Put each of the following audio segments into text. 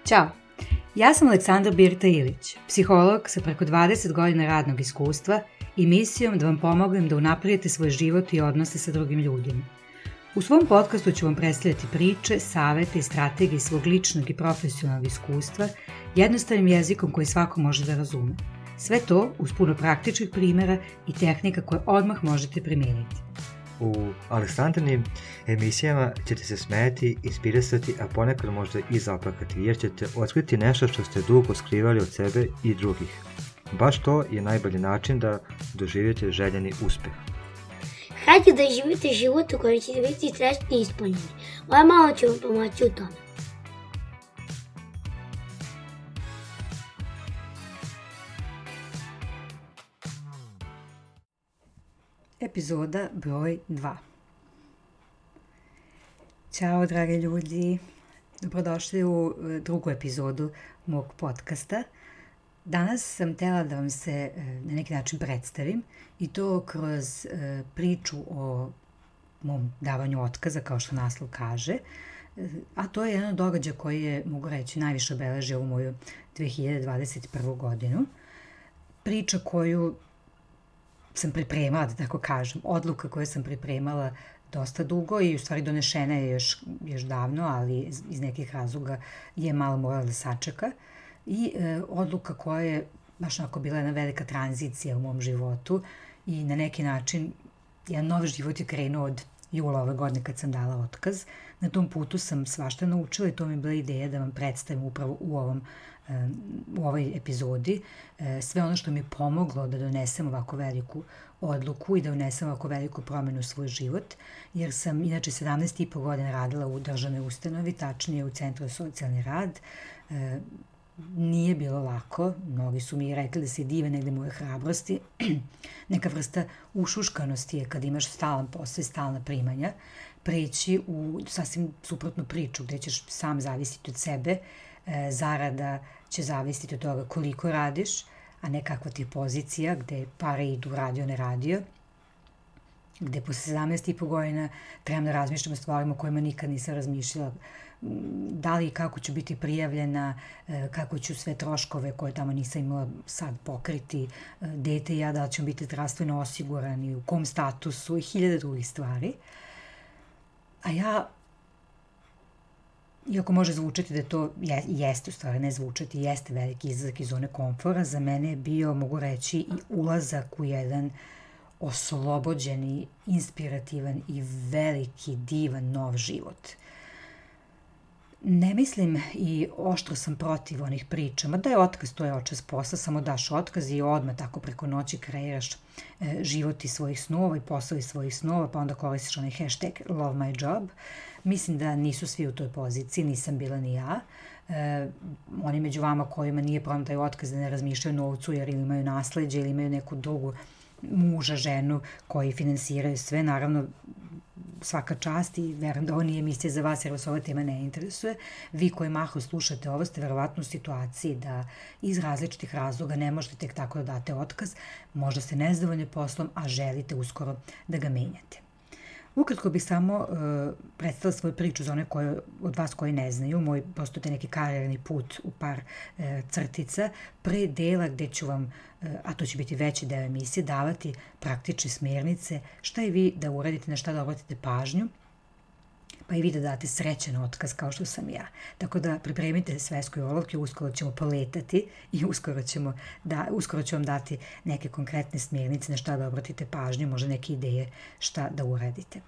Ćao, ja sam Aleksandra Birta Ilić, psiholog sa preko 20 godina radnog iskustva i misijom da vam pomognem da unapredite svoj život i odnose sa drugim ljudima. U svom podcastu ću vam predstavljati priče, savete i strategije svog ličnog i profesionalnog iskustva jednostavnim jezikom koji svako može da razume. Sve to uz puno praktičnih primjera i tehnika koje odmah možete primijeniti. U Aleksandrinim emisijama ćete se smejati, inspirisati, a ponekad možda i zaplakati, jer ćete otkriti nešto što ste dugo skrivali od sebe i drugih. Baš to je najbolji način da doživite željeni uspeh. Hajde da živite život u kojem ćete biti srećni i ispunjeni. Moja mama će vam pomoći u tome. Epizoda broj 2. Ćao dragi ljudi, dobrodošli u drugu epizodu mog podcasta. Danas sam htjela da vam se na neki način predstavim i to kroz priču o mom davanju otkaza, kao što naslov kaže, a to je jedan događaj koji je, mogu reći, najviše obeležio ovu moju 2021. godinu. Priča koju sam pripremala, da tako kažem, odluka koju sam pripremala dosta dugo i u stvari donešena je još davno, ali iz nekih razloga je malo morala da sačeka. I odluka koja je baš onako bila jedna velika tranzicija u mom životu i na neki način jedan novi život je krenuo od jula ove godine kad sam dala otkaz. Na tom putu sam svašta naučila i to mi je bila ideja da vam predstavim upravo u ovoj epizodi sve ono što mi je pomoglo da donesem ovako veliku odluku i da unesem ovako veliku promjenu u svoj život, jer sam inače 17,5 godina radila u državnoj ustanovi, tačnije u Centru za socijalni rad. Nije bilo lako, mnogi su mi rekli da se dive negde moje hrabrosti. Neka vrsta ušuškanosti je kad imaš stalan posao i stalna primanja, preći u sasvim suprotnu priču gdje ćeš sam zavisiti od sebe, zarada će zavisiti od toga koliko radiš, a ne kakva ti je pozicija, gde pare idu radio, ne radio, gde posle 17,5 godina trebam da razmišljam o stvarima o kojima nikad nisam razmišljala, da li i kako ću biti prijavljena, kako ću sve troškove koje tamo nisam imala sad pokriti, dete i ja, da li ćemo biti zdravstveno osigurani, u kom statusu i hiljade drugih stvari. A ja, iako može zvučati da to jeste, u stvari ne zvučati, jeste veliki izlazak iz zone komfora, za mene je bio, mogu reći, i ulazak u jedan oslobođeni, inspirativan i veliki, divan nov život. Ne mislim i oštro sam protiv onih pričama da je otkaz, to je očas posla, samo daš otkaz i odmah tako preko noći kreiraš život iz svojih snova i posao iz svojih snova, pa onda koristiš onaj hashtag love my job. Mislim da nisu svi u toj poziciji, nisam bila ni ja. Oni među vama kojima nije problem taj otkaz da ne razmišljaju novcu jer ili imaju nasleđe ili imaju neku drugu muža, ženu koji finansiraju sve, naravno svaka čast i verujem da ovo nije emisija za vas jer vas ova tema ne interesuje. Vi koji mahom slušate ovo ste verovatno u situaciji da iz različitih razloga ne možete tek tako da date otkaz, možda ste nezadovoljni poslom, a želite uskoro da ga menjate. Ukratko bih samo predstavila svoju priču za one od vas koji ne znaju, moj prosto te neki karijerni put u par crtica, pre dela gde ću vam, a to će biti veći deo emisije, davati praktične smjernice, šta je vi da uradite, na šta da obratite pažnju, pa i vi da date srećan otkaz kao što sam ja. Tako da pripremite svesku i olovke, uskoro ćemo poletati i uskoro ću vam dati neke konkretne smjernice na šta da obratite pažnju, možda neke ideje šta da uradite.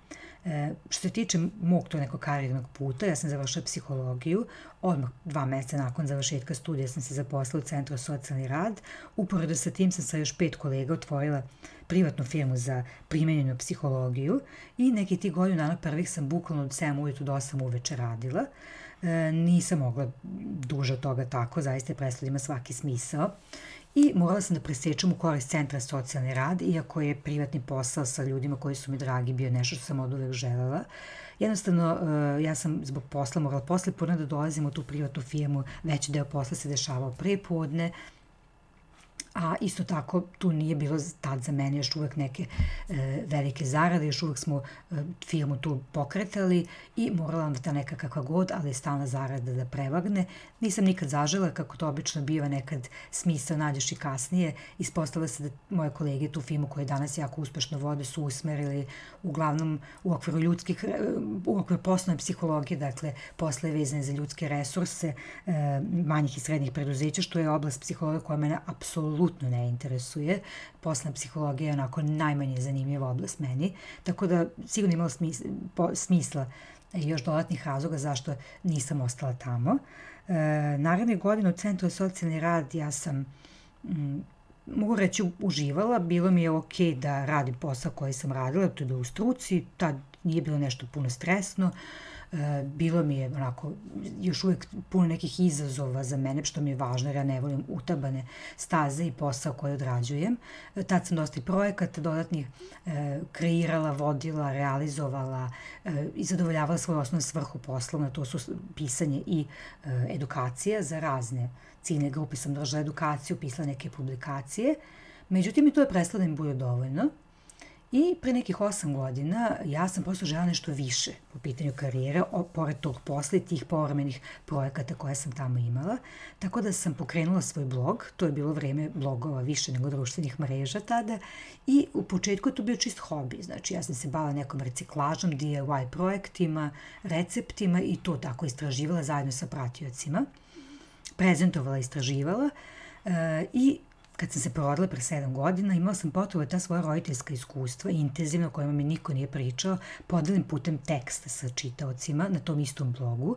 Što se tiče mog to nekog karijernog puta, ja sam završila psihologiju, odmah 2 mjeseca nakon završetka studija sam se zaposlila u Centru za socijalni rad. Uporedo sa tim sam sa još 5 kolega otvorila privatnu firmu za primenjenu psihologiju i neki tih godinu dana prvih sam bukvalno od 7 ujutru do 8 uveče radila. Nisam mogla duže od toga tako, zaista je prestalo ima svaki smisao. I morala sam da presečem u korist Centra za socijalni rad, iako je privatni posao sa ljudima koji su mi dragi bio nešto što sam od uvek želela. Jednostavno, ja sam zbog posla morala posle podne da dolazim u tu privatnu firmu, veći deo posla se dešavao pre podne, a isto tako tu nije bilo tad za mene još uvek neke velike zarade, još uvek smo firmu tu pokretali i morala onda ta neka kakva god, ali stalna zarada da prevagne. Nisam nikad zažela, kako to obično biva, nekad smisao nađeš i kasnije. Ispostavila se da moje kolege tu firmu koje danas jako uspešno vode su usmerili uglavnom u okviru u okviru poslovne psihologije, dakle posle vezane za ljudske resurse manjih i srednjih preduzeća, što je oblast psihologije koja mene apsolutno ne interesuje. Poslovna psihologija je onako najmanje zanimljiva oblast meni, tako da sigurno imalo smisla i još dodatnih razloga zašto nisam ostala tamo. Naredne godine u Centru za socijalni rad ja sam, mogu reći, uživala. Bilo mi je okej da radim posao koji sam radila, to je bilo u struci, tad nije bilo nešto puno stresno. Bilo mi je onako još uvek puno nekih izazova za mene, što mi je važno jer ja ne volim utabane staze i posao koji odrađujem. Tad sam dosta i projekata dodatnih kreirala, vodila, realizovala i zadovoljavala svoju osnovnu svrhu poslovno, to su pisanje i edukacija za razne ciljne grupe. Sam držala edukaciju, pisala neke publikacije, međutim i to je prestalo da mi bude dovoljno. I pre nekih 8 godina ja sam prosto želela nešto više po pitanju karijere, pored tog posla i tih povremenih projekata koje sam tamo imala. Tako da sam pokrenula svoj blog, to je bilo vreme blogova više nego društvenih mreža tada, i u početku je to bio čist hobi. Znači ja sam se bavila nekom reciklažom, DIY projektima, receptima i to tako istraživala zajedno sa pratiocima. Prezentovala, istraživala i kad sam se porodila pre 7 godina, imala sam potrebu da ta svoja roditeljska iskustva, intenzivno, o kojima mi niko nije pričao, podelim putem teksta sa čitaocima na tom istom blogu.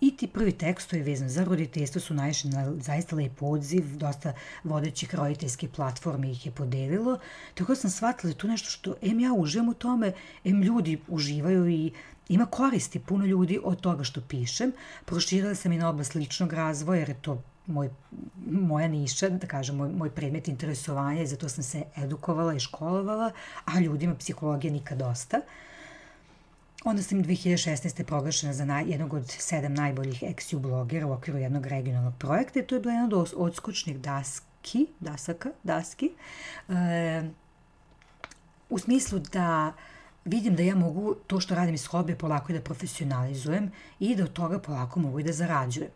I ti prvi tekstovi vezani za roditeljstvo su naišli na zaista lep odziv, dosta vodećih roditeljskih platformi ih je podelilo, tako da sam shvatila da tu nešto što ja uživam u tome, ljudi uživaju i ima koristi puno ljudi od toga što pišem. Proširila sam i na oblast ličnog razvoja, jer je to moja niša, da kažem, moj predmet interesovanja i zato sam se edukovala i školovala, a ljudima psihologija nikad dosta. Onda sam 2016. proglašena za jednog od 7 najboljih ex-U blogera u okviru jednog regionalnog projekta i to je bila jedna od odskočnih daski, u smislu da vidim da ja mogu to što radim iz hobija polako i da profesionalizujem i da od toga polako mogu i da zarađujem.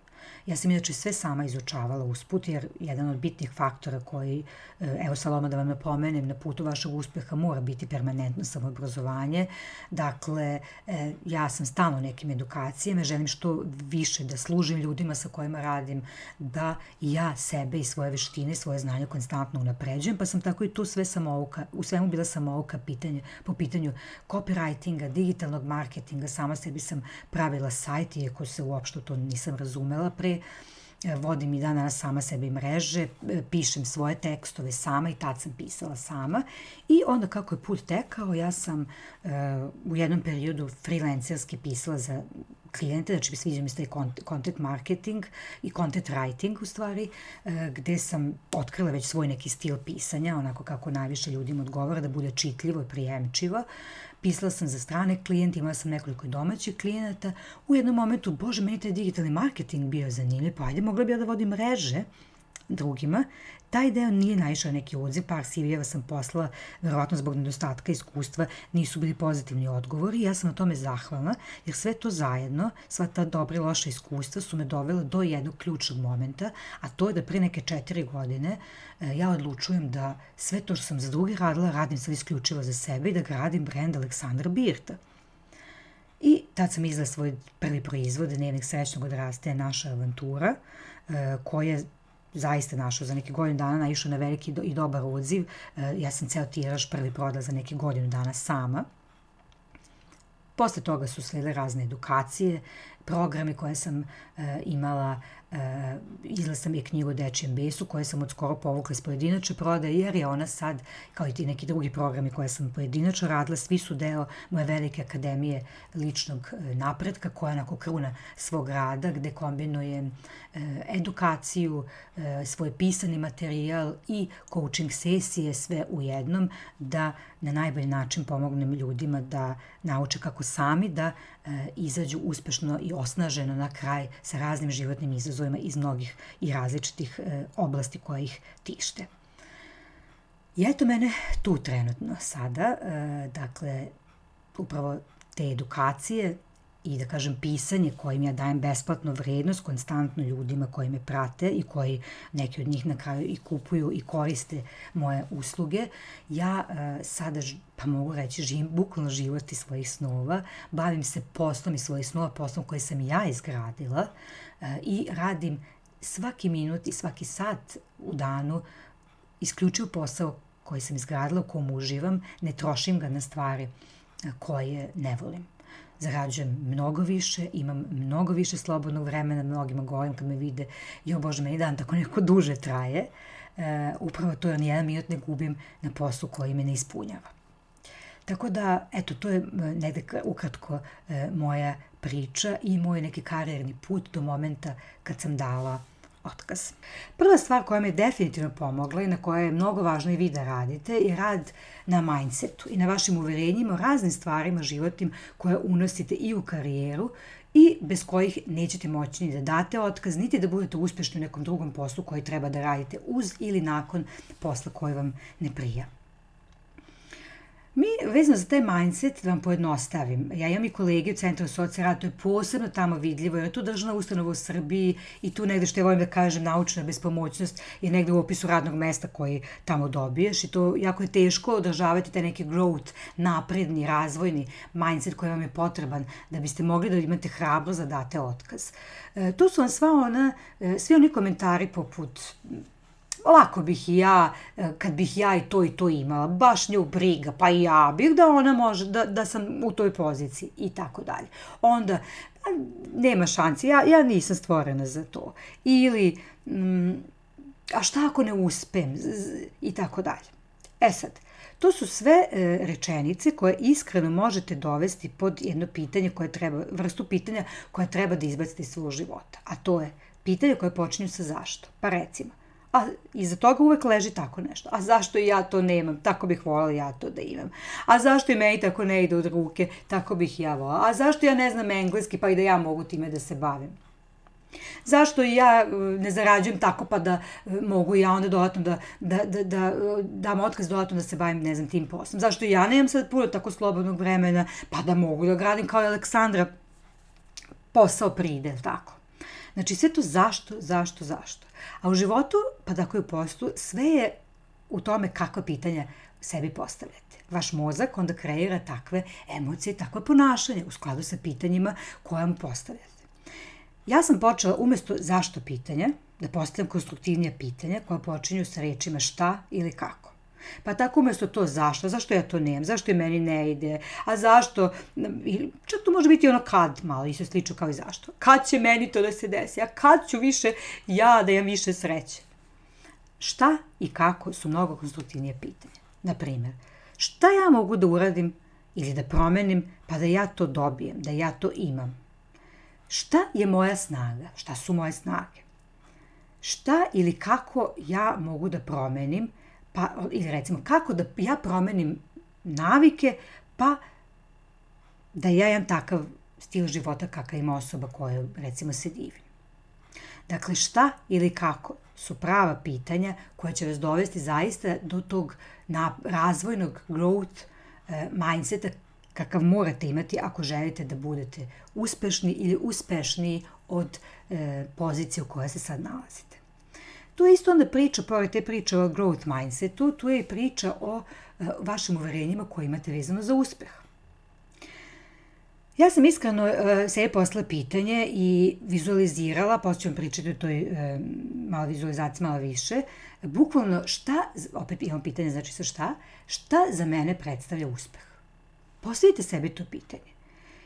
Ja sam inače sve sama izučavala usput, jer jedan od bitnih faktora koji, evo Saloma da vam napomenem, na putu vašeg uspeha mora biti permanentno samoobrazovanje. Dakle, ja sam stalno u nekim edukacijama, želim što više da služim ljudima sa kojima radim, da ja sebe i svoje veštine, svoje znanje konstantno unapređujem, pa sam tako i tu u svemu bila samouka po pitanju copywritinga, digitalnog marketinga, sama sebi sam pravila sajt, iako se uopšte to nisam razumela pre, vodim i danas sama sebi mreže, pišem svoje tekstove sama i tad sam pisala sama. I onda kako je put tekao, ja sam u jednom periodu freelancerski pisala za klijente, znači sviđa mi se taj content marketing i content writing u stvari, gde sam otkrila već svoj neki stil pisanja, onako kako najviše ljudima odgovara, da bude čitljivo i prijemčivo. Pisala sam za strane klijente, imala sam nekoliko domaćih klijenata. U jednom momentu, bože, meni taj digitalni marketing bio zanimljiv, pa ajde, mogla bi ja da vodim mreže drugima. Taj deo nije naišao neki odziv, par CV-eva sam poslala, verovatno zbog nedostatka iskustva, nisu bili pozitivni odgovori. Ja sam na tome zahvalna, jer sve to zajedno, sva ta dobra i loša iskustva su me dovela do jednog ključnog momenta, a to je da pre neke 4 godine ja odlučujem da sve to što sam za druge radila, radim sad isključivo za sebe i da gradim brend Aleksandra Birta. I tad sam izdala svoj prvi proizvod, Dnevnik srećnog odrastanja, naša avantura, koja je zaista našao za neke godinu dana, naišao na veliki i dobar odziv. Ja sam ceo tiraž prvi prodala za neke godinu dana sama. Posle toga su sledile razne edukacije, programe koje sam imala, izdala sam i knjigu o Dečijem besu koje sam od skoro povukla iz pojedinačne prodaje, jer je ona sad, kao i ti neki drugi programi koje sam pojedinačno radila, svi su deo moje velike akademije ličnog napretka, koja je onako kruna svog rada, gde kombinujem edukaciju, svoj pisani materijal i coaching sesije, sve u jednom, da na najbolji način pomognem ljudima da nauče kako sami da izađu uspešno i osnaženo na kraj sa raznim životnim izazovima iz mnogih i različitih oblasti koje ih tište. I eto mene tu trenutno sada, dakle, upravo te edukacije i da kažem pisanje kojim ja dajem besplatno vrednost konstantno ljudima koji me prate i koji neki od njih na kraju i kupuju i koriste moje usluge. Ja sada, pa mogu reći, živim bukvalno život iz svojih snova, bavim se poslom iz svojih snova, poslom koji sam ja izgradila i radim svaki minut i svaki sat u danu isključivo posao koji sam izgradila, u kom uživam, ne trošim ga na stvari koje ne volim. Zarađujem mnogo više, imam mnogo više slobodnog vremena, mnogima govorim kad me vide, jo Bože, meni dan tako neko duže traje, upravo to, ni jedan minut ne gubim na poslu koji me ne ispunjava. Tako da, eto, to je negde ukratko moja priča i moj neki karijerni put do momenta kad sam dala otkaz. Prva stvar koja mi je definitivno pomogla i na kojoj je mnogo važno i vi da radite je rad na mindsetu i na vašim uverenjima o raznim stvarima životnim koje unosite i u karijeru i bez kojih nećete moći ni da date otkaz, niti da budete uspješni u nekom drugom poslu koji treba da radite uz ili nakon posla koji vam ne prija. Mi, vezano za taj mindset, da vam pojednostavim, ja imam i kolege u Centru socijalnog rada, to je posebno tamo vidljivo, jer je tu državna ustanova u Srbiji i tu negde, što ja volim da kažem, naučna bespomoćnost je negde u opisu radnog mesta koji tamo dobiješ i to jako je teško održavati taj neki growth, napredni, razvojni mindset koji vam je potreban da biste mogli da imate hrabrost da date otkaz. Tu su vam svi oni komentari poput lako bih i ja, kad bih ja i to imala, baš nju briga, pa i ja bih da ona može, da sam u toj poziciji i tako dalje. Onda, nema šanci, ja nisam stvorena za to. Ili, a šta ako ne uspem i tako dalje. E sad, to su sve rečenice koje iskreno možete dovesti pod jedno pitanje vrstu pitanja koje treba da izbacite iz svog života. A to je pitanje koje počinju sa zašto. Pa recimo, a iza toga uvek leži tako nešto. A zašto ja to nemam? Tako bih voljela ja to da imam. A zašto i meni tako ne ide od ruke? Tako bih ja voljela. A zašto ja ne znam engleski pa i da ja mogu time da se bavim? Zašto ja ne zarađujem tako pa da mogu ja onda dodatno da dam otkaz dodatno da se bavim, ne znam, tim poslom? Zašto ja nemam sad puno tako slobodnog vremena pa da mogu da gradim kao i Aleksandra posao pride, tako? Znači sve to zašto. A u životu, pa tako i u poslu, sve je u tome kakva pitanja sebi postavljate. Vaš mozak onda kreira takve emocije, takve ponašanje u skladu sa pitanjima koja mu postavljate. Ja sam počela umjesto zašto pitanja da postavljam konstruktivnija pitanja koja počinju sa rečima šta ili kako. Pa tako umjesto to zašto ja to nemam, zašto je meni ne ide, a zašto, čak to može biti ono kad, malo isto slično kao i zašto. Kad će meni to da se desi, a kad ću više ja da imam više sreće. Šta i kako su mnogo konstruktivnije pitanja. Naprimjer, šta ja mogu da uradim ili da promenim pa da ja to dobijem, da ja to imam. Šta je moja snaga, šta su moje snage. Šta ili kako ja mogu da promenim, pa, ili recimo, kako da ja promenim navike, pa da ja imam takav stil života kakav ima osoba koja, recimo, se divim. Dakle, šta ili kako su prava pitanja koja će vas dovesti zaista do tog razvojnog growth mindseta kakav morate imati ako želite da budete uspešni ili uspešniji od pozicije u kojoj se sad nalazite. Tu je isto onda priča, pored te priče o growth mindsetu, tu je i priča o vašim uverenjima koje imate vezano za uspeh. Ja sam iskreno sebi poslala pitanje i vizualizirala, posle ću vam pričati o toj malo vizualizaciji, malo više, bukvalno šta, opet imam pitanje, znači sa šta za mene predstavlja uspeh? Postavite sebi to pitanje.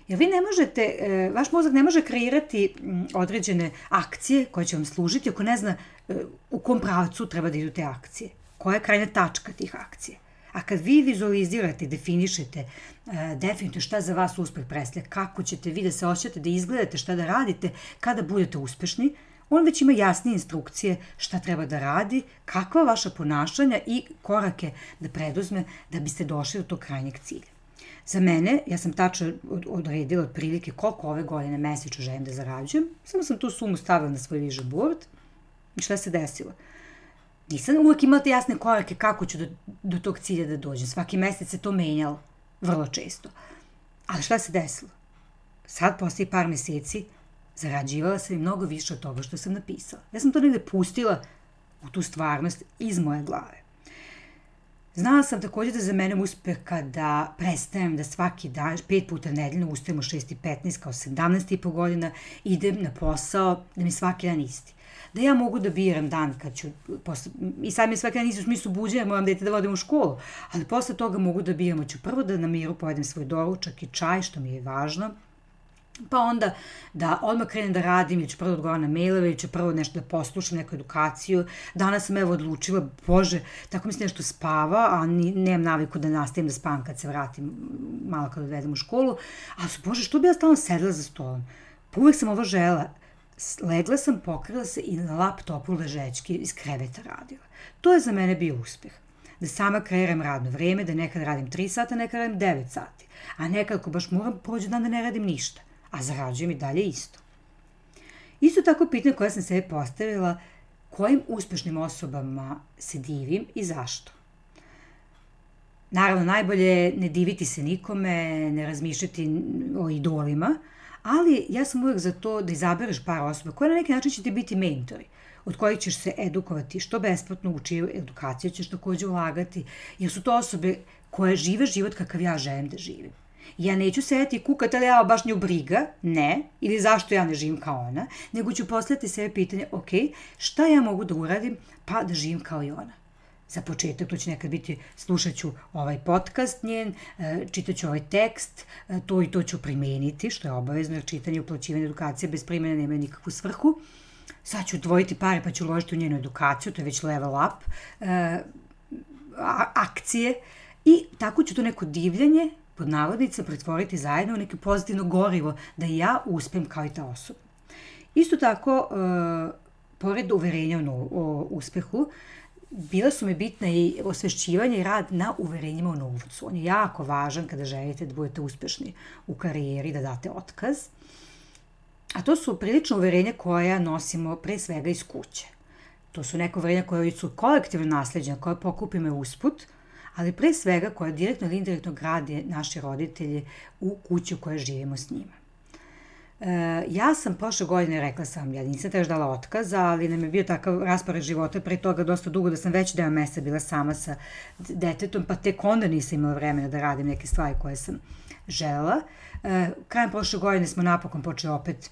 Jer vi ne možete, vaš mozak ne može kreirati određene akcije koje će vam služiti ako ne zna u kom pravcu treba da idu te akcije. Koja je krajnja tačka tih akcija. A kad vi vizualizirate i definišete definitivno šta za vas uspeh predstavlja, kako ćete vi da se osjećate, da izgledate, šta da radite kada budete uspešni, on već ima jasnije instrukcije šta treba da radi, kakva vaša ponašanja i korake da preduzme da biste došli do tog krajnjeg cilja. Za mene, ja sam tačno odredila otprilike koliko ove godine mesečno želim da zarađujem, samo sam tu sumu stavila na svoj vision board i šta se desilo? Nisam uvek imala te jasne korake kako ću do tog cilja da dođem. Svaki mesec se to menjalo, vrlo često. Ali šta se desilo? Sad, posle par meseci, zarađivala sam i mnogo više od toga što sam napisala. Ja sam to negde pustila u tu stvarnost iz moje glave. Znala sam takođe da za mene uspeh kada prestajem da svaki dan, 5 puta nedeljno, ustajem u 6:15 kao 17,5 godina, idem na posao, da mi svaki dan isti. Da ja mogu da biram dan kad ću, i sad mi svaki dan isti u smislu buđenja, moram dete da vodim u školu, ali posle toga mogu da biram, ću prvo da na miru pojedem svoj doručak i čaj, što mi je važno, pa onda da odmah krenem da radim, ili ću prvo odgovaram na mailove, ili ću prvo nešto da poslušam, neku edukaciju. Danas sam evo odlučila, bože, tako mi se nešto spava, a nemam naviku da nastavim da spavam kad se vratim, malo kad odvedem u školu, ali bože, što bi ja stalno sedela za stolom? Pa uvek sam ovo žela. Legla sam, pokrila se i na laptopu ležećki iz kreveta radila. To je za mene bio uspeh. Da sama kreiram radno vreme, da nekad radim 3 sata, nekad radim 9 sati, a nekad ako baš moram prođe dan da ne radim ništa, a zarađujem i dalje isto. Isto tako pitanje koje sam sebi postavila, kojim uspešnim osobama se divim i zašto. Naravno, najbolje je ne diviti se nikome, ne razmišljati o idolima, ali ja sam uvek za to da izabereš par osoba koje na neki način će ti biti mentori, od kojih ćeš se edukovati, što besplatno u čiju edukaciju ćeš takođe ulagati, jer su to osobe koje žive život kakav ja želim da živim. Ja neću sedeti i kukati, ali ja baš nju briga, ne, ili zašto ja ne živim kao ona, nego ću postaviti sebe pitanje, ok, šta ja mogu da uradim, pa da živim kao i ona. Za početak, to će nekad biti, slušat ću ovaj podcast njen, čitat ću ovaj tekst, to i to ću primeniti, što je obavezno, jer čitanje i uplaćivanje edukacije bez primjene nema nikakvu svrhu. Sad ću odvojiti pare pa ću uložiti u njenu edukaciju, to je već level up, akcije, i tako ću to neko divljanje, pod navodnicama, pretvoriti zajedno u neko pozitivno gorivo, da ja uspem kao i ta osoba. Isto tako, pored uverenja o uspehu, bila su mi bitna i osvešćivanje i rad na uverenjima o novcu. On je jako važan kada želite da budete uspešni u karijeri, da date otkaz. A to su prilično uverenja koja nosimo pre svega iz kuće. To su neka uverenja koja su kolektivno nasleđena, koja pokupimo usput, ali pre svega koja direktno ili indirektno grade naši roditelji u kući u kojoj živimo s njima. Ja sam prošle godine, rekla sam, ja nisam još dala otkaz, ali nam je bio takav raspored života pre toga dosta dugo da sam već deo meseca bila sama sa detetom, pa tek onda nisam imala vremena da radim neke stvari koje sam želela. Krajem prošle godine smo napokon počeli opet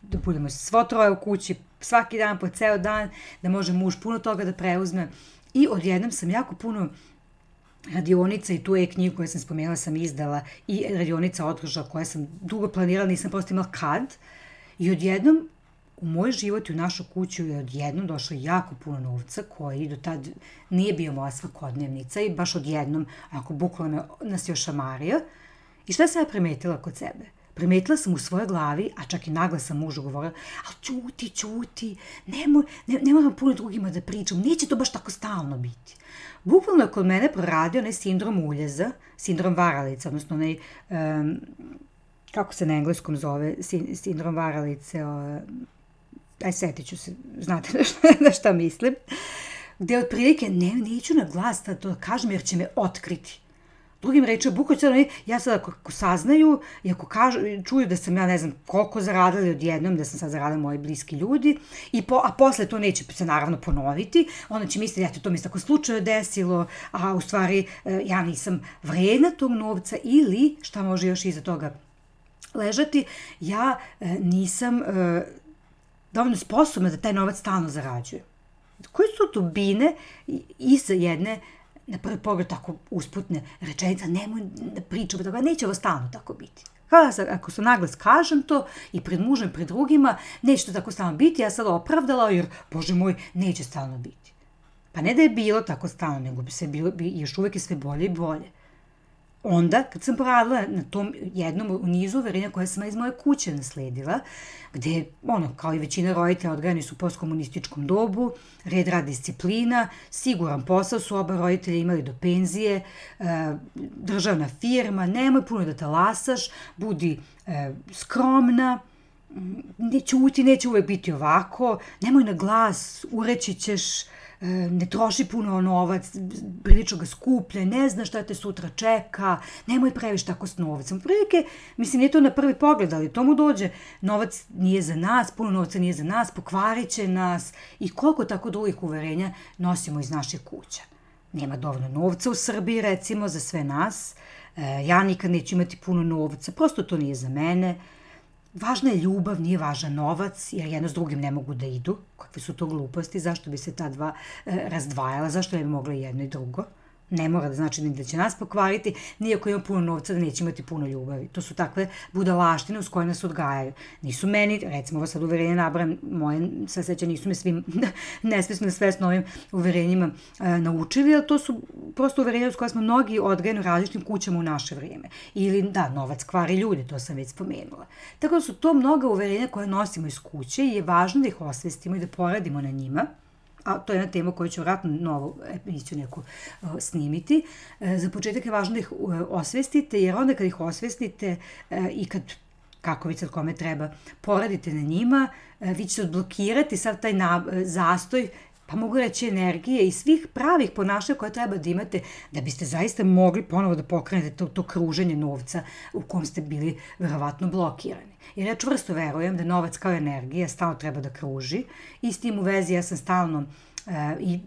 da budemo svo troje u kući, svaki dan po ceo dan, da može muž puno toga da preuzme, i odjednom sam jako puno radionica, i tu knjigu koju sam spomenula sam izdala, i radionica održala koja sam dugo planirala, nisam prosto imala kad, i odjednom u moj život i u našu kuću je odjednom došlo jako puno novca koji do tad nije bio moja svakodnevnica, i baš odjednom, ako bukvalno nas je ošamario. I šta sam ja primetila kod sebe? Primetila sam u svojoj glavi, a čak i naglas sam mužu govorila, ali ćuti, ne moram puno drugima da pričam, neće to baš tako stalno biti. Bukvalno je kod mene proradio onaj sindrom uljeza, sindrom varalice, odnosno onaj, kako se na engleskom zove, sindrom varalice, setit ću se, znate na šta mislim, gde otprilike neću na glas to kažem jer će me otkriti. Drugim rečima, bukvalno ja sad ako saznaju i ako čuju da sam ja ne znam koliko zaradila odjednom, da sam sad zaradila moji bliski ljudi, a posle to neće se naravno ponoviti, onda će misliti, eto, to mi se tako slučajno desilo, a u stvari ja nisam vredna tog novca, ili šta može još iza toga ležati, ja nisam dovoljno sposobna da taj novac stalno zarađujem. Koje su dubine iza jedne, na prvi pogled tako usputne rečenica, nemoj da pričam, neće ovo stalno tako biti. Ako se naglas kažem to i pred mužem i pred drugima, neće to tako stalno biti, ja sad opravdala jer, bože moj, neće stalno biti. Pa ne da je bilo tako stalno, nego bi još uvek je sve bolje i bolje. Onda, kad sam poradila na tom jednom u nizu uverenja koje sam iz moje kuće nasledila, gde, kao i većina roditelja odgajani su u postkomunističkom dobu, red, rad, disciplina, siguran posao su oba roditelja imali do penzije, državna firma, nemoj puno da talasaš, budi skromna, neće uvek biti ovako, nemoj na glas, ureći ćeš, ne troši puno novac, prilično ga skuplje, ne znaš šta te sutra čeka, nemoj previše tako s novcem. Prilike, mislim, nije to na prvi pogled, ali to mu dođe, novac nije za nas, puno novca nije za nas, pokvarit će nas i koliko tako drugih uverenja nosimo iz naših kuća. Nema dovoljno novca u Srbiji, recimo, za sve nas, ja nikad neću imati puno novca, prosto to nije za mene. Važna je ljubav, nije važan novac, jer jedno s drugim ne mogu da idu. Kakve su to gluposti, zašto bi se ta dva razdvajala, zašto ne bi mogla jedno i drugo? Ne mora da znači da će nas pokvariti, nijako ima puno novca da neće imati puno ljubavi. To su takve budalaštine uz koje nas odgajaju. Nisu meni, recimo ovo sad uverenje nabram, moje sad seća nisu me svim nesvesno i svesno ovim uverenjima naučili, ali to su prosto uverenja uz koje smo mnogi odgajani u različitim kućama u naše vrijeme. Ili da, novac kvari ljudi, to sam već spomenula. Tako da su to mnoga uverenja koje nosimo iz kuće i je važno da ih osvestimo i da poradimo na njima. A to je jedna tema koju ću vratno novu emisiju neku snimiti. Za početak je važno da ih osvestite, jer onda kad ih osvestite i kad, kako vi sad kome treba, poradite na njima, vi ćete odblokirati sav taj zastoj, pa mogu reći energije i svih pravih ponašanja koje treba da imate da biste zaista mogli ponovo da pokrenete to kruženje novca u kom ste bili verovatno blokirani. Jer ja čvrsto verujem da novac kao energija stalno treba da kruži i s tim u vezi ja sam stalno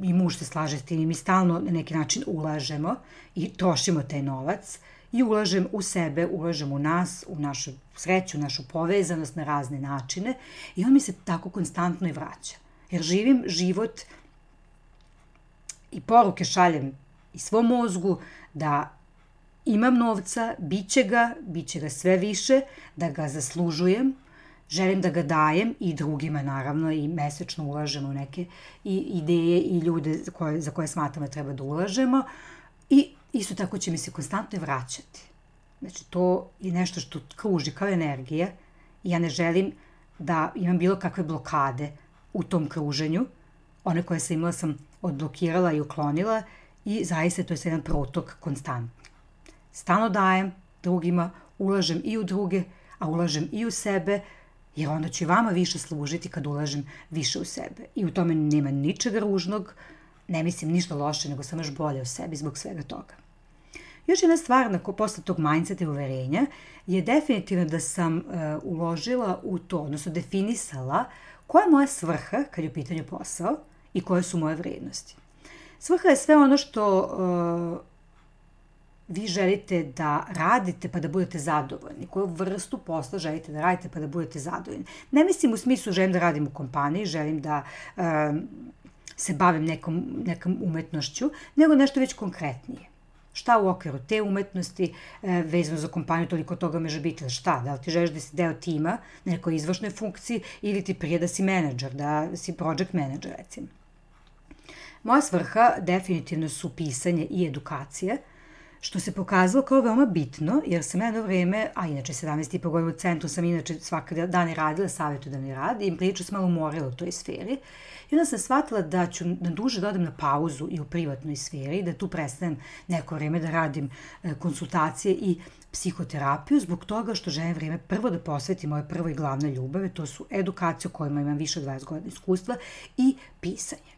i muž se slaže s tim i mi stalno na neki način ulažemo i trošimo taj novac i ulažem u sebe, ulažem u nas, u našu sreću, našu povezanost na razne načine i on mi se tako konstantno i vraća. Jer živim život i poruke šaljem i svom mozgu da imam novca, bit će ga sve više, da ga zaslužujem, želim da ga dajem i drugima naravno i mesečno ulažemo u neke ideje i ljude za koje smatramo da treba da ulažemo i isto tako će mi se konstantno vraćati. Znači to je nešto što kruži kao energija i ja ne želim da imam bilo kakve blokade u tom kruženju. One koje sam imala sam odblokirala i uklonila i zaista to je jedan protok konstantno. Stalno dajem drugima, ulažem i u druge, a ulažem i u sebe, jer onda ću vama više služiti kad ulažem više u sebe. I u tome nema ničega ružnog, ne mislim ništa loše, nego sam još bolje u sebi zbog svega toga. Još jedna stvar posle tog mindseta i uverenja je definitivno da sam uložila u to, odnosno definisala koja je moja svrha kad je u pitanju posao i koje su moje vrednosti. Svrha je sve ono što vi želite da radite pa da budete zadovoljni. Koju vrstu posla želite da radite pa da budete zadovoljni. Ne mislim u smislu želim da radim u kompaniji, želim da se bavim nekom umetnošću, nego nešto već konkretnije. Šta u okviru te umetnosti, vezano za kompaniju, toliko toga može biti, šta? Da li ti želiš da si deo tima na nekoj izvršnoj funkciji ili ti prije da si menadžer, da si project manager, recimo. Moja svrha definitivno su pisanje i edukacije, što se pokazalo kao veoma bitno, jer sam jedno vreme, a inače 17,5 godina u centru sam inače svaka dana radila savjetodavni rad i prilično sam malo umorila u toj sferi. I onda sam shvatila da ću na duže da odem na pauzu i u privatnoj sferi, da tu prestanem neko vreme da radim konsultacije i psihoterapiju, zbog toga što želim vreme prvo da posvetim moje prvo i glavne ljubave, to su edukacija u kojima imam više od 20 godina iskustva i pisanje.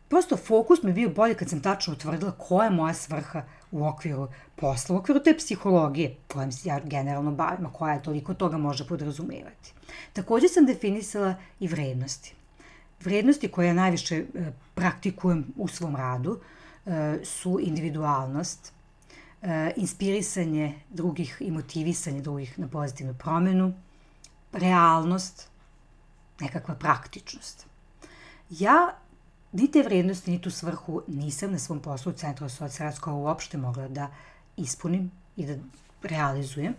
Prosto fokus mi je bio bolje kad sam tačno utvrdila koja je moja svrha u okviru posla, u okviru te psihologije kojom se ja generalno bavim, a koja je toliko toga može podrazumevati. Također sam definisala i vrednosti. Vrednosti koje ja najviše praktikujem u svom radu su individualnost, inspirisanje drugih i motivisanje drugih na pozitivnu promenu, realnost, nekakva praktičnost. Ja ni te vrednosti, ni tu svrhu nisam na svom poslu u Centru socijalno uopšte mogla da ispunim i da realizujem.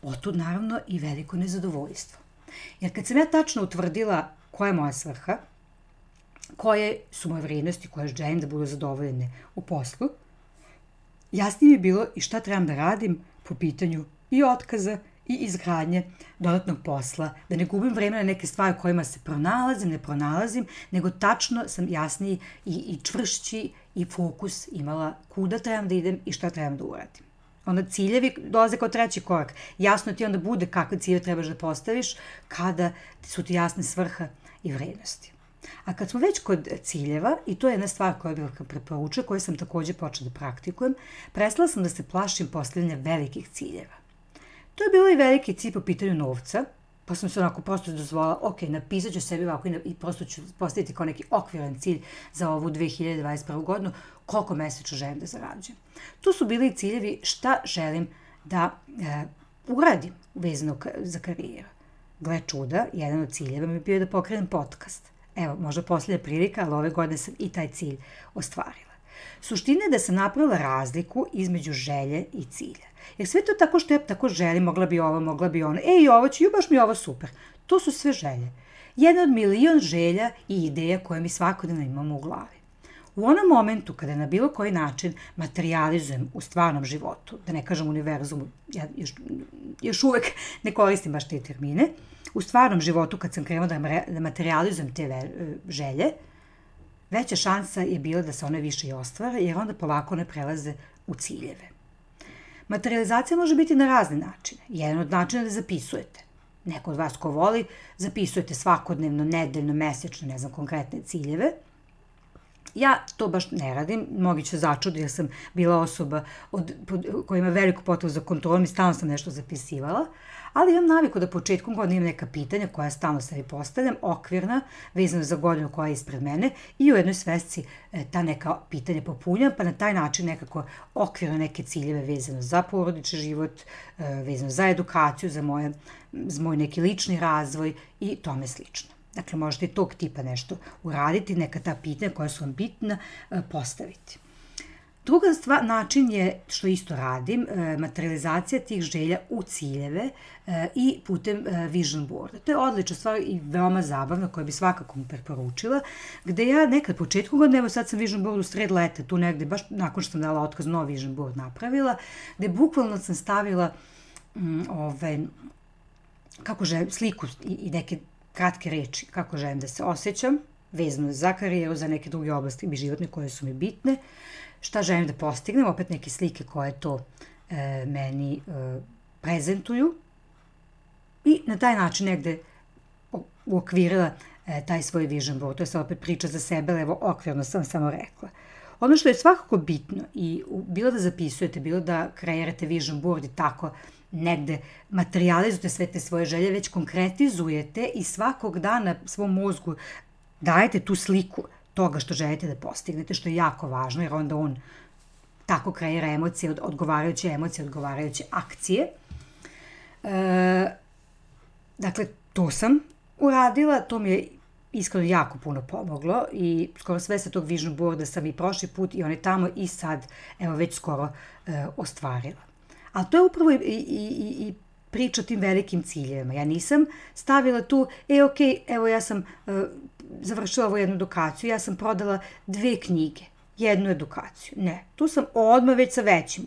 Otud naravno i veliko nezadovoljstvo. Jer kad sam ja tačno utvrdila koja je moja svrha, koje su moje vrednosti, koje želim da budu zadovoljene u poslu, jasnije je bilo i šta trebam da radim po pitanju i otkaza i izgradnje dodatnog posla, da ne gubim vreme na neke stvari kojima se ne pronalazim, nego tačno sam jasniji i čvršći i fokus imala kuda trebam da idem i šta trebam da uradim. Onda ciljevi dolaze kao treći korak. Jasno ti onda bude kakve ciljeve trebaš da postaviš kada su ti jasne svrha i vrednosti. A kad smo već kod ciljeva, i to je jedna stvar koja bih preporučila, koju sam takođe počela da praktikujem, prestala sam da se plašim postavljanja velikih ciljeva. To je bilo i veliki cilj po pitanju novca, pa sam se onako prosto dozvolila, ok, napisat ću sebi ovako i prosto ću postaviti kao neki okviran cilj za ovu 2021. godinu, koliko mesečno želim da zarađujem. Tu su bili ciljevi šta želim da uradim vezano za karijeru. Gle čuda, jedan od ciljeva mi je bio da pokrenem podcast. Evo, možda posljednja prilika, ali ove godine sam i taj cilj ostvarila. Suština je da sam napravila razliku između želje i cilja. Jer sve to tako što ja tako želim, mogla bi ovo, mogla bi ono, ovo ću, baš mi je ovo super. To su sve želje. Jedna od milion želja i ideja koje mi svakodnevno imamo u glavi. U onom momentu kada na bilo koji način materializujem u stvarnom životu, da ne kažem univerzumu, ja još uvek ne koristim baš te termine, u stvarnom životu kad sam krenula da materializujem te želje, veća šansa je bila da se one više i ostvare, jer onda polako one prelaze u ciljeve. Materializacija može biti na razne načine. Jedan od načina je da zapisujete. Neko od vas ko voli, zapisujete svakodnevno, nedeljno, mesečno, ne znam, konkretne ciljeve. Ja to baš ne radim, mnogi će začudu jer sam bila osoba koja ima veliku potrebu za kontrolom i stalno sam nešto zapisivala, ali imam naviku da početkom godine imam neka pitanja koja stalno sebi postavljam, okvirna, vezano za godinu koja je ispred mene i u jednoj svesci ta neka pitanja popunjam, pa na taj način nekako okvirno neke ciljeve vezano za porodični život, vezano za edukaciju, za moj neki lični razvoj i tome slično. Dakle, možete i tog tipa nešto uraditi, neka ta pitanja koja su vam bitna postaviti. Druga način je, što isto radim, materializacija tih želja u ciljeve i putem vision boarda. To je odlična stvar i veoma zabavna koja bi svakako mu preporučila, gde ja nekad početku godine, evo sad sam vision board u sred leta, tu negde, baš nakon što sam dala otkaz, novi vision board napravila, gde bukvalno sam stavila kako želim, sliku i neke kratke reči, kako želim da se osjećam, vezano za karijeru, za neke druge oblasti i životne koje su mi bitne, šta želim da postignem, opet neke slike koje to meni prezentuju i na taj način negde uokvirila taj svoj vision board. To je sad opet priča za sebe, ali evo okvirno sam samo rekla. Ono što je svakako bitno i bilo da zapisujete, bilo da kreirate vision board i tako negde materializujete sve te svoje želje, već konkretizujete i svakog dana svom mozgu dajete tu sliku toga što želite da postignete, što je jako važno, jer onda on tako kreira emocije, odgovarajuće akcije. Dakle, to sam uradila, to mi je iskreno jako puno pomoglo i skoro sve sa tog vision boarda sam i prošli put i on je tamo i sad, evo već skoro ostvarila. Ali to je upravo i priča o tim velikim ciljevima. Ja nisam stavila tu, evo ja sam završila ovu jednu edukaciju, ja sam prodala 2 knjige, jednu edukaciju. Ne, tu sam odmah već sa većim.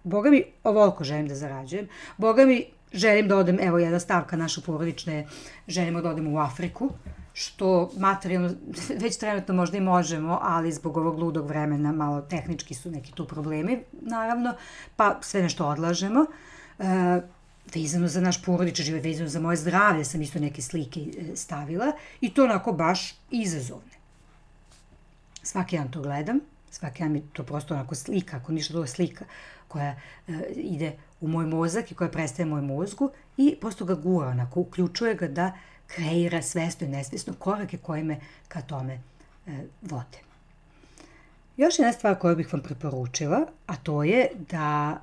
Boga mi, ovoliko želim da zarađujem. Boga mi, želim da odem, evo jedna stavka naša porodična je, želimo da odemo u Afriku, što materijalno već trenutno možda i možemo, ali zbog ovog ludog vremena malo tehnički su neki tu problemi, naravno, pa sve nešto odlažemo. Vezano za naš porodični život, vezano za moje zdravlje sam isto neke slike stavila i to onako baš izazovne. Svaki dan to gledam, svaki dan mi to prosto onako slika, ako ništa druga slika koja ide u moj mozak i koja prestaje moj mozgu i prosto ga gura, onako uključuje ga da kreira svesno i nesvesno korake koje me ka tome vode. Još jedna stvar koju bih vam preporučila, a to je da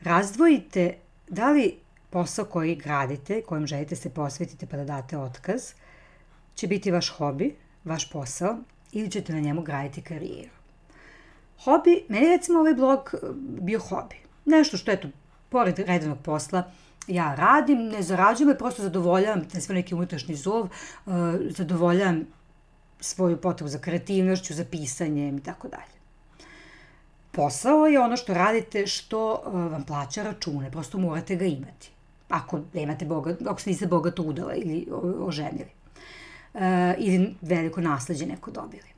razdvojite da li posao koji gradite, kojem želite se posvetiti pa da date otkaz, će biti vaš hobi, vaš posao ili ćete na njemu graditi karijeru. Hobi, meni recimo ovaj blog bio hobi. Nešto što, eto, pored redovnog posla ja radim, ne zarađujem, ali prosto zadovoljavam sve neki unutrašnji zov, zadovoljavam svoju potrebu za kreativnošću, za pisanjem i tako dalje. Posao je ono što radite, što vam plaća račune, prosto morate ga imati. Ako se niste bogato udala ili oženili. Ili veliko nasleđe neko dobili.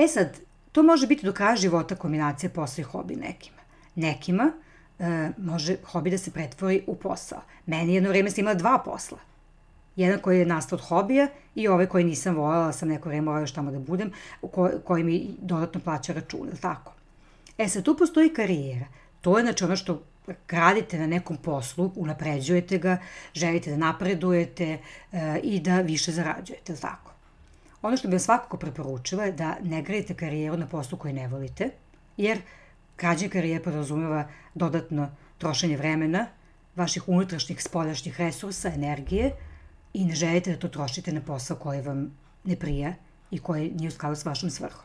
Sad, to može biti do kraja života kombinacija posla i hobi nekima. Nekima može hobi da se pretvori u posao. Meni jedno vreme sam imala 2 posla. Jedan koji je nastao od hobija i ovaj koji nisam voljela, sam neko vreme morala još tamo da budem, koji mi dodatno plaća račun, ili tako? Sad, tu postoji karijera. To je znači ono što radite na nekom poslu, unapređujete ga, želite da napredujete i da više zarađujete, ili tako? Ono što bih vam svakako preporučila je da ne gradite karijeru na poslu koji ne volite, jer građenje karijere podrazumeva dodatno trošenje vremena, vaših unutrašnjih, spoljašnjih resursa, energije i ne želite da to trošite na posao koji vam ne prija i koji nije u skladu s vašom svrhom.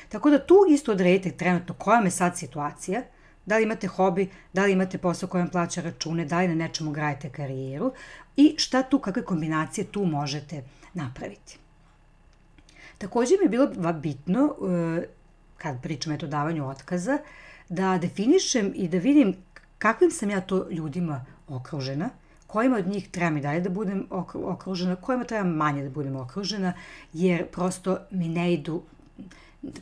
Tako da tu isto odredite trenutno koja vam je sad situacija, da li imate hobi, da li imate posao koji vam plaća račune, da li na nečemu gradite karijeru i šta tu, kakve kombinacije tu možete napraviti. Takođe mi je bilo bitno, kad pričam o davanju otkaza, da definišem i da vidim kakvim sam ja to ljudima okružena, kojima od njih treba mi dalje da budem okružena, kojima treba manje da budem okružena, jer prosto mi ne idu,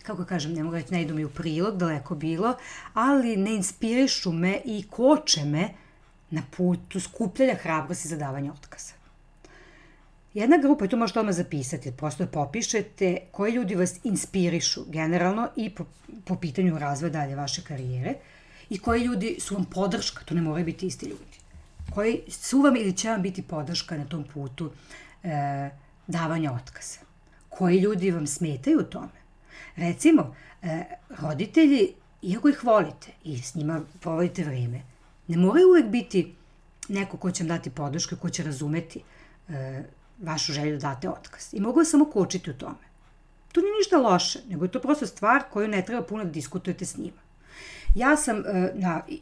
kako kažem, ne mogu reći, ne idu mi u prilog, daleko bilo, ali ne inspirišu me i koče me na putu skupljanja hrabrosti za davanje otkaza. Jedna grupa, i to možete odmah zapisati, prosto da popišete koji ljudi vas inspirišu generalno i po pitanju razvoja dalje vaše karijere i koji ljudi su vam podrška, to ne moraju biti isti ljudi, koji su vam ili će vam biti podrška na tom putu davanja otkaza. Koji ljudi vam smetaju u tome? Recimo, roditelji, iako ih volite i s njima provodite vreme, ne moraju uvek biti neko ko će vam dati podršku, ko će razumeti vašu želju da date otkaz. I mogu vas samo kočiti u tome. To nije ništa loše, nego je to prosto stvar koju ne treba puno da diskutujete s njima.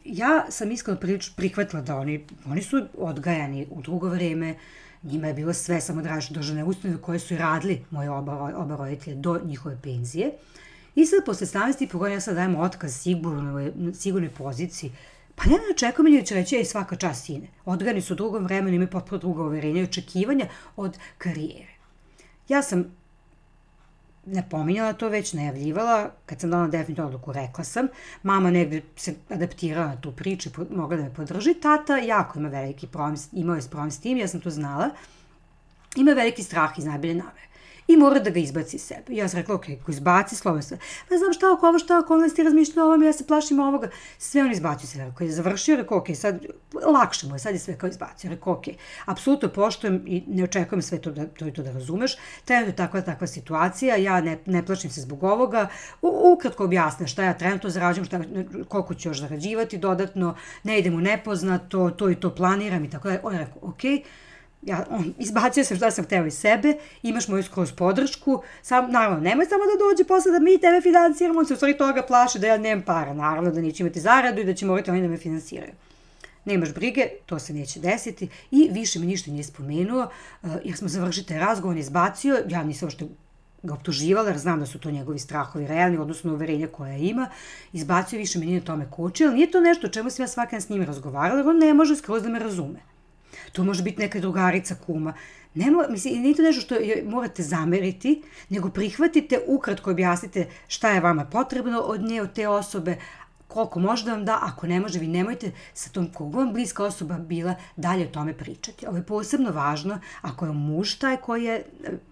Ja sam iskreno prihvatila da oni su odgajani u drugo vreme, njima je bilo sve samo državne ustanove koje su i radili moje oba roditelje do njihove penzije. I sad, posle 17,5 godina, ja sad dajem otkaz sigurnoj poziciji. Pa ja ne očekujem da će reći, svaka čast sine. Odgajani su u drugom vremenu, imaju potpuno druga uverenja i očekivanja od karijere. Ja sam napominjala to već, najavljivala, kad sam dala definitivno odluku, rekla sam, mama negde se adaptirala na tu priču i mogla da me podrži, tata jako ima veliki problem, imao je problem s tim, ja sam to znala, ima veliki strah iz najbolje namere i mora da ga izbaci iz sebe. Ja sam rekla, ok, ko izbaci, slovno sve, pa znam šta ako ovo, ti razmišljala o ovome, ja se plašim ovoga, sve on izbacio se, rekao je završio, rekao, ok, sad lakše mu je, sad je sve kao izbacio, rekao, ok, apsolutno poštujem i ne očekujem sve to da razumeš, trenutno je takva situacija, ja ne plašim se zbog ovoga, ukratko objasne šta ja trenutno zarađujem, koliko ću još zarađivati dodatno, ne idem u nepoznato, to i to planiram i tako da, on je rekao, ok, izbacio sam šta sam hteo iz sebe, imaš moju skroz podršku, naravno, nemoj samo da dođe posle da mi tebe finansiramo, on se u stvari toga plaše da ja nemam para, naravno da neće imati zaradu i da će morati oni da me finansiraju. Nemaš brige, to se neće desiti i više mi ništa nije spomenuo, jer smo završili taj razgovor, on je izbacio, ja nisam što ga optuživala, jer znam da su to njegovi strahovi realni, odnosno uverenja koja ima, izbacio, više mi nije tome kočio, ali nije to nešto o čemu sam ja svaki dan s njim razgovarala, jer on ne može skroz da me razume. To može biti neka drugarica, kuma. Nije to nešto što morate zameriti, nego prihvatite, ukratko objasnite šta je vama potrebno od nje, od te osobe, koliko može da vam da, ako ne može, vi nemojte sa tom koliko vam bliska osoba bila dalje o tome pričati. Ovo je posebno važno ako je muž taj koji je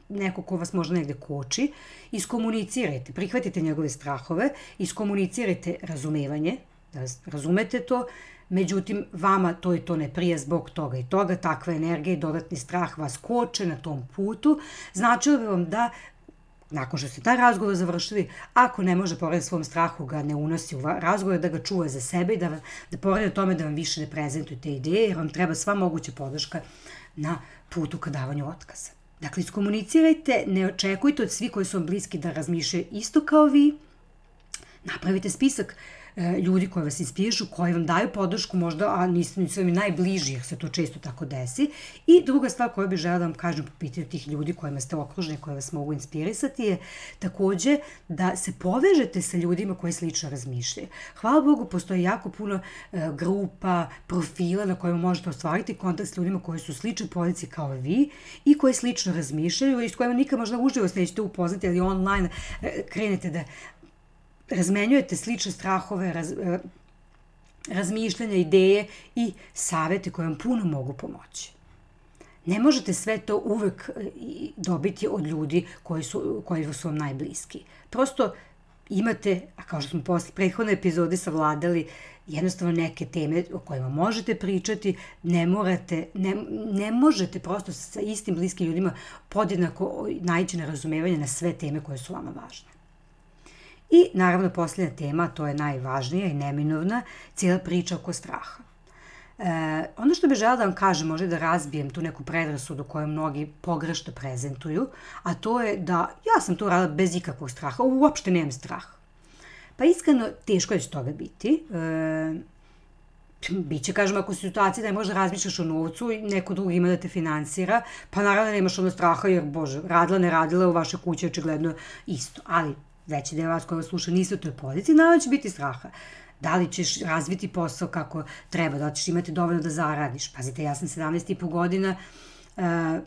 neko ko vas možda negde koči, iskomunicirajte, prihvatite njegove strahove, iskomunicirajte razumevanje, da razumete to, međutim, vama to i to ne prija zbog toga i toga, takva energija i dodatni strah vas koče na tom putu, značilo bi vam da, nakon što ste taj razgovor završili, ako ne može pored svom strahu ga ne unosi u razgovor, da ga čuva za sebe i da pored tome da vam više ne prezentuje te ideje, jer vam treba sva moguća podrška na putu ka davanju otkaza. Dakle, iskomunicirajte, ne očekujte od svih koji su vam bliski da razmišljaju isto kao vi, napravite spisak ljudi koji vas inspirišu, koji vam daju podršku možda, a nisu vam najbliži, jer se to često tako desi. I druga stvar koju bih žela da vam kažem po pitanju tih ljudi kojima ste okruženi, koji vas mogu inspirisati je takođe da se povežete sa ljudima koji slično razmišljaju. Hvala Bogu, postoji jako puno grupa, profila na kojima možete ostvariti kontakt s ljudima koji su u sličnoj poziciji kao vi i koji slično razmišljaju i s kojima nikad možda uživo se nećete upoznati, ali online krenete da razmenjujete slične strahove, razmišljanja, ideje i savete koje vam puno mogu pomoći. Ne možete sve to uvek dobiti od ljudi koji su vam najbliski. Prosto imate, a kao što smo posle prethodne epizode savladali, jednostavno neke teme o kojima možete pričati, ne možete prosto sa istim bliskim ljudima podjednako naići na razumevanje na sve teme koje su vama važne. I naravno posljednja tema, to je najvažnija i neminovna, cijela priča oko straha. Ono što bih želela da vam kažem, možda da razbijem tu neku predrasudu koju mnogi pogrešno prezentuju, a to je da ja sam to radila bez ikakvog straha, uopšte nemam strah. Pa iskreno, teško je će toga biti. Biće, kažem, ako si u situaciji da ne možeš da razmišljaš o novcu i neko drugi ima da te finansira, pa naravno nemaš ono straha jer, bože, radila, ne radila, u vašoj kući očigledno isto. Ali veći deo vas koji vas sluša niste u toj poziciji, naravno će biti straha. Da li ćeš razviti posao kako treba, da li ćeš imati dovoljno da zaradiš. Pazite, ja sam 17,5 godina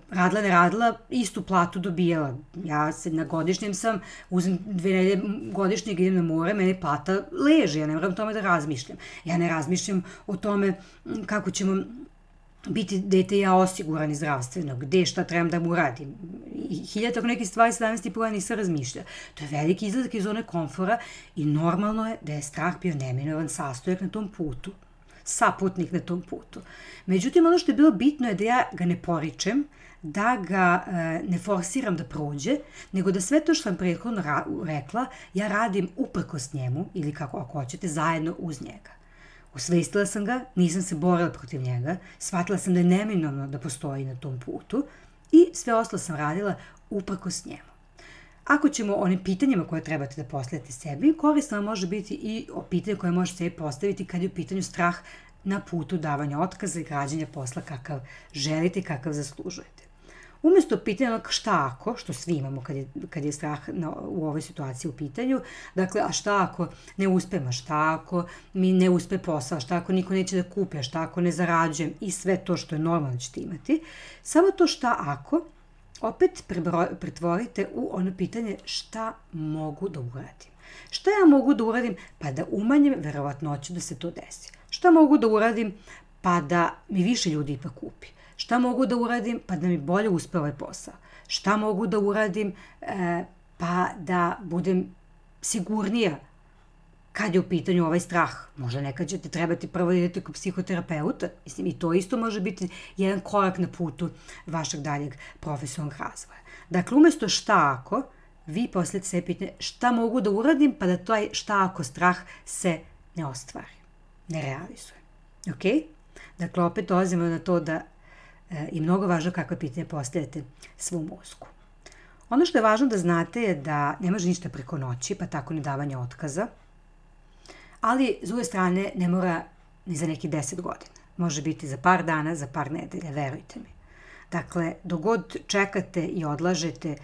radila, ne radila, istu platu dobijala. Ja na godišnjem sam, uzem 2 nedelje godišnjeg, idem na more, mene plata leži, ja ne moram o tome da razmišljam. Ja ne razmišljam o tome kako ćemo biti dete i ja osigurani zdravstveno, gde, šta trebam da mu radim. I tako neke stvari 17,5 godina nisam razmišljala. To je veliki izlazak iz zone komfora i normalno je da je strah bio neminovan sastojak na tom putu. Saputnik na tom putu. Međutim, ono što je bilo bitno je da ja ga ne poričem, da ga ne forsiram da prođe, nego da sve to što sam prethodno rekla, ja radim uprkos njemu, ili kako ako hoćete, zajedno uz njega. Osvestila sam ga, nisam se borila protiv njega, shvatila sam da je neminovno da postoji na tom putu i sve ostalo sam radila uprkos njemu. Ako ćemo o onim pitanjima koje trebate da postavite sebi, korisno vam može biti i o pitanju koje možete sebi postaviti kad je u pitanju strah na putu davanja otkaza i građenja posla kakav želite i kakav zaslužujete. Umjesto pitanja šta ako, što svi imamo kad je strah u ovoj situaciji u pitanju, dakle, a šta ako ne uspem, a šta ako mi ne uspe posao, a šta ako niko neće da kupi, a šta ako ne zarađujem i sve to što je normalno ćete imati, samo to šta ako opet pretvorite u ono pitanje šta mogu da uradim. Šta ja mogu da uradim pa da umanjim verovatnoću da se to desi? Šta mogu da uradim pa da mi više ljudi ipak kupi? Šta mogu da uradim pa da mi bolje uspe ovaj posao? Šta mogu da uradim pa da budem sigurnija kad je u pitanju ovaj strah? Možda nekad ćete trebati prvo da idete kod psihoterapeuta. Mislim, i to isto može biti jedan korak na putu vašeg daljeg profesionalnog razvoja. Dakle, umjesto šta ako, vi postavite se pitanje šta mogu da uradim pa da taj šta ako strah se ne ostvari, ne realizuje. Ok? Dakle, opet dolazimo na to da je mnogo važno kakve pitanje postavite svom mozgu. Ono što je važno da znate je da ne može ništa preko noći, pa tako ni davanje otkaza, ali s druge strane ne mora ni za neki 10 godina. Može biti za par dana, za par nedelja, verujte mi. Dakle, dok god čekate i odlažete,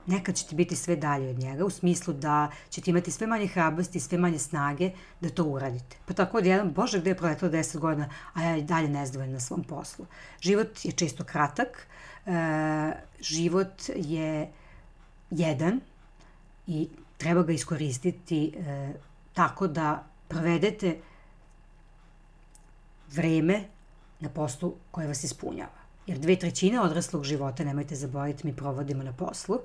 nekad ćete biti sve dalje od njega, u smislu da ćete imati sve manje hrabrosti, sve manje snage da to uradite. Pa tako od jedan, bože, gde je proletilo 10 godina, a ja i dalje nezadovoljna na svom poslu. Život je često kratak, život je jedan i treba ga iskoristiti tako da provedete vreme na poslu koje vas ispunjava. Jer 2/3 odraslog života, nemojte zaboraviti, mi provodimo na poslu.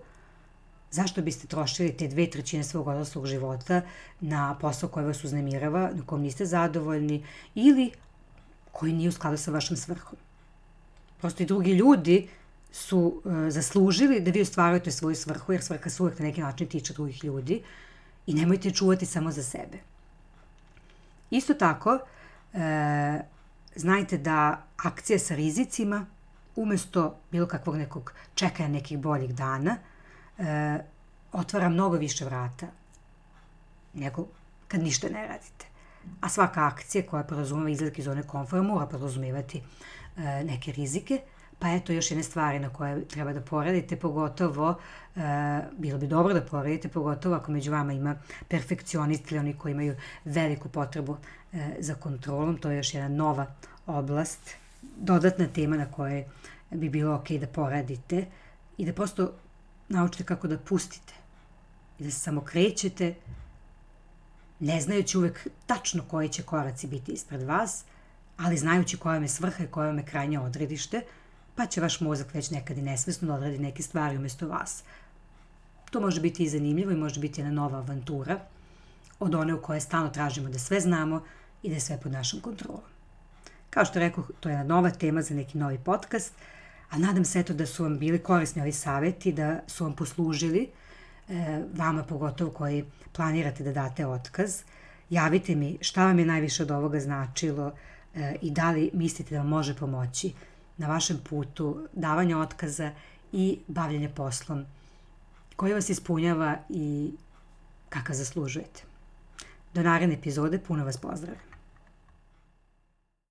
Zašto biste trošili te 2/3 svog odraslog života na posao koji vas uznemirava, na kojem niste zadovoljni ili koji nije u skladu sa vašom svrhom? Prosto i drugi ljudi su zaslužili da vi ostvarujete svoju svrhu, jer svrha se uvek na neki način tiče drugih ljudi i nemojte čuvati samo za sebe. Isto tako, znajte da akcija sa rizicima, umjesto bilo kakvog nekog čekanja nekih boljih dana, otvara mnogo više vrata nego kad ništa ne radite. A svaka akcija koja podrazumeva izlazak iz zone komfora mora podrazumevati neke rizike, pa eto još jedne stvari na koje treba da poradite, pogotovo, bilo bi dobro da poradite, pogotovo ako među vama ima perfekcionisti ili oni koji imaju veliku potrebu za kontrolom. To je još jedna nova oblast, dodatna tema na kojoj bi bilo ok da poradite i da prosto naučite kako da pustite i da se samo krećete ne znajući uvek tačno koji će koraci biti ispred vas, ali znajući koja vam je svrha i koja vam je krajnje odredište, pa će vaš mozak već nekad i nesvesno da odradi neke stvari umjesto vas. To može biti i zanimljivo i može biti jedna nova avantura od one u kojoj stalno tražimo da sve znamo i da je sve pod našom kontrolom. Kao što rekoh, to je jedna nova tema za neki novi podcast, a nadam se da su vam bili korisni ovi savjeti, da su vam poslužili, vama pogotovo koji planirate da date otkaz. Javite mi šta vam je najviše od ovoga značilo i da li mislite da vam može pomoći na vašem putu davanja otkaza i bavljenja poslom koji vas ispunjava i kakav zaslužujete. Do naredne epizode, puno vas pozdravljam.